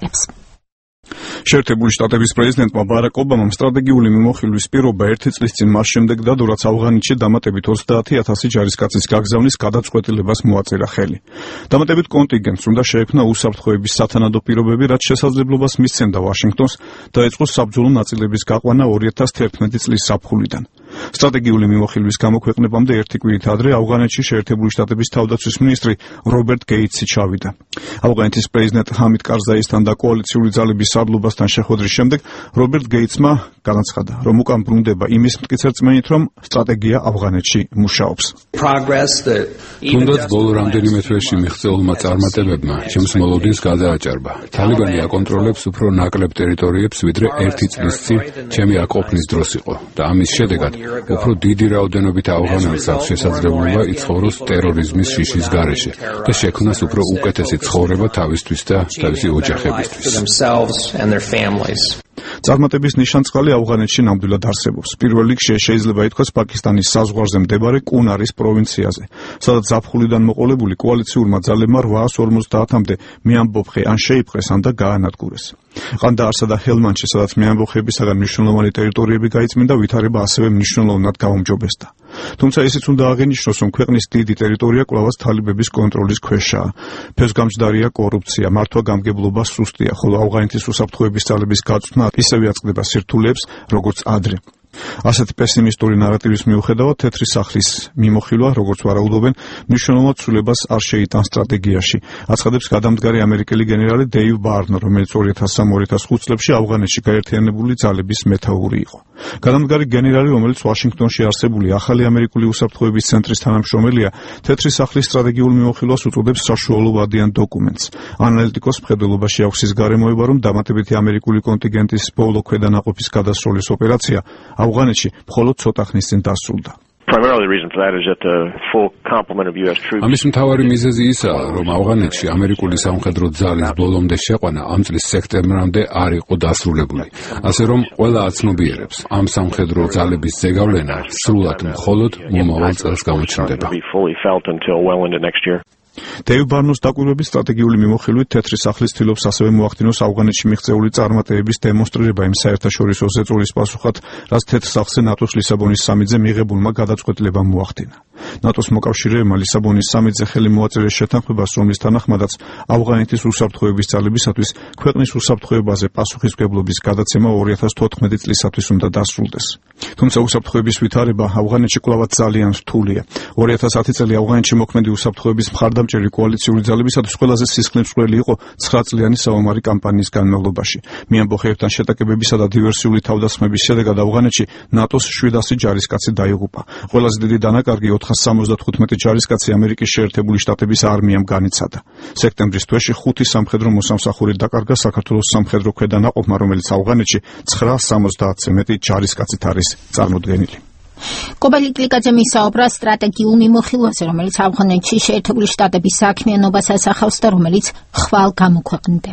აფიქსირებს. შეერთებული შტატების პრეზიდენტმა ბარაკ ობამამ სტრატეგიული მიმოხილვის პირობა 1 წლის წინ მას შემდეგ დადო, რაც ავღანეთში დამატებით 30,000 ჯარისკაცის გაგზავნის გადაწყვეტილებას მოაწერა ხელი. დამატებით კონტინგენტს უნდა შეექმნა უსაფრთხოების სათანადო პირობები, რაც შესაძლებლობას მისცემდა ვაშინგტონს დაეწყო საბრძოლო ნაწილების გაყვანა 2011 წლის ზაფხულიდან. სტრატეგიული მიმოხილვის გამოქვეყნებამდე 1 კვირით ადრე ავღანეთში შეერთებული შტატების თავდაცვის მინისტრი რობერტ გეიტსი ჩავიდა. ავღანეთის პრეზიდენტ ჰამიდ კარზაისთან და კოალიციური ძალების სარდლობასთან შეხვედრის შემდეგ რობერტ გეიტსმა განაცხადა, რომ უკან ბრუნდება იმის მტკიცე რწმენით, რომ სტრატეგია ავღანეთში მუშაობს. თუნდაც ბოლო რამდენიმე თვეში მიღწეულმა წარმატებებმა ჩემს მოლოდინს გადააჭარბა. თალიბანი აკონტროლებს უფრო ნაკლებ ტერიტორიებს, ვიდრე 1 წლის წინ ჩემი აკოფნის დროს იყო და ამის შედეგად უფრო დიდი რაოდენობით ავღანელს აქვს შესაძლებლობა იცხოვროს ტერორიზმის შიშის გარეშე და შექმნას უფრო უკეთესი ცხოვრება თავისთვის და თავისი ოჯახებისთვის. წარმატების ნიშანწყალი ავღანეთში ნამდვილად არსებობს. პირველ რიგში შეიძლება ითქვას პაკისტანის საზღვარზე მდებარე კუნარის პროვინციაზე, სადაც ზაფხულიდან მოყოლებული კოალიციურმა ძალებმა 850-მდე მეამბოხე ან შეიპყრეს, ან და გაანადგურეს. ყანდაარსა და ჰელმანდში, სადაც მეამბოხეებისაგან მნიშვნელოვანი ტერიტორიები გაიწმინდა, ვითარება ასევე მნიშვნელოვნად გაუმჯობესდა. თუმცა ისიც უნდა აღინიშნოს, რომ ქვეყნის დიდი ტერიტორია კვლავაც თალიბების კონტროლის ქვეშაა. ფესვგამჯდარია კორუფცია, მართვა-გამგებლობა სუსტია, ხოლო ავღანეთის უსაფრთხოების ძალების გაწვრთნა ისევე აწყდება სირთულეებს, როგორც ადრე. ასეთი პესიმისტური ნარატივის მიუხედავად თეთრი სახლის მიმოხილვა, როგორც ვარაუდობენ, მნიშვნელოვნად ცვლილებას არ შეიტანს სტრატეგიაში. აცხადებს გადამდგარი ამერიკელი გენერალი დეივ ბარნო, რომელიც 2003-2005 წლებში ავღანეთში გაერთიანებული ძალების მეთაური იყო. გადამდგარი გენერალი, რომელიც ვაშინგტონში არსებული ახალი ამერიკული უსაფრთხოების ცენტრის თანამშრომელია, თეთრი სახლის სტრატეგიულ მიმოხილვას უწოდებს საშუალოვადიან დოკუმენტს. ანალიტიკოს მხედველობაში აქვს ის გარემოება, რომ დამატებითი ამერიკული კონტინგენტის ბოლო ქვედანაყოფის გადასროლის ოპერაცია ავღანეთში მხოლოდ ცოტა ხნის წინ დასრულდა. ამის მთავარი მიზეზი ისაა, რომ ავღანეთში ამერიკული სამხედრო ძალის ბოლომდე შეყვანა ამ წლის სექტემბრამდე არ იყო დასრულებული. ასე რომ ყველა აცნობიერებს, ამ სამხედრო ძალების ზეგავლენა სრულად მხოლოდ მომავალ წელს გამოჩნდება. დეივ ბარნოს დაკვირვების სტრატეგიული მიმოხილვით თეთრი სახლის ცდილობს ასევე მოახდინოს ავღანეთში მიღწეული წარმატებების დემონსტრირება იმ საერთაშორისო ზეწოლის პასუხად, რაც თეთრ სახლზე ნატოს ლისაბონის სამიტზე მიღებულმა გადაწყვეტილებამ მოახდინა. ნატოს მოკავშირეებმა ლისაბონის სამიტზე ხელი მოაწერეს შეთანხმებას, რომლის თანახმადაც ავღანეთის უსაფრთხოების ძალებისათვის ქვეყნის უსაფრთხოებაზე პასუხისმგებლობის გადაცემა 2014 წლისათვის უნდა დასრულდეს. თუმცა უსაფრთხოების ვითარება ავღანეთში კვლავაც ძალიან რთულია. 2010 წელი ავღანეთში მოქმედი უსაფრთხოების მხარდამჭერი კოალიციური ძალებისათვის ყველაზე სისხლმისწყლელი იყო 9 წლიანი საომარი კამპანიის განმავლობაში. მეამბოხეებთან შეტაკებებისა და დივერსიული თავდასხმების შედეგად ავღანეთში ნატოს 700 ჯარისკაცი დაიღუპა. ყველაზე დიდი დანაკარგი 475 ჯარისკაცი ამერიკის შეერთებული შტატების არმიამ განიცადა. სექტემბრის თვეში 5 სამხედრო მოსამსახური დაკარგა საქართველოს სამხედრო ქვედანაყოფმა, რომელიც ავღანეთში 970-ზე მეტი ჯარისკაცით არის წარმოდგენილი. კობელი კლიკაძე მისაუბრა სტრატეგიულ მიმოხილვაზე, რომელიც ავღანეთში შეერთებული შტატების საქმიანობას ასახავს და რომელიც ხვალ გამოქვეყნდება.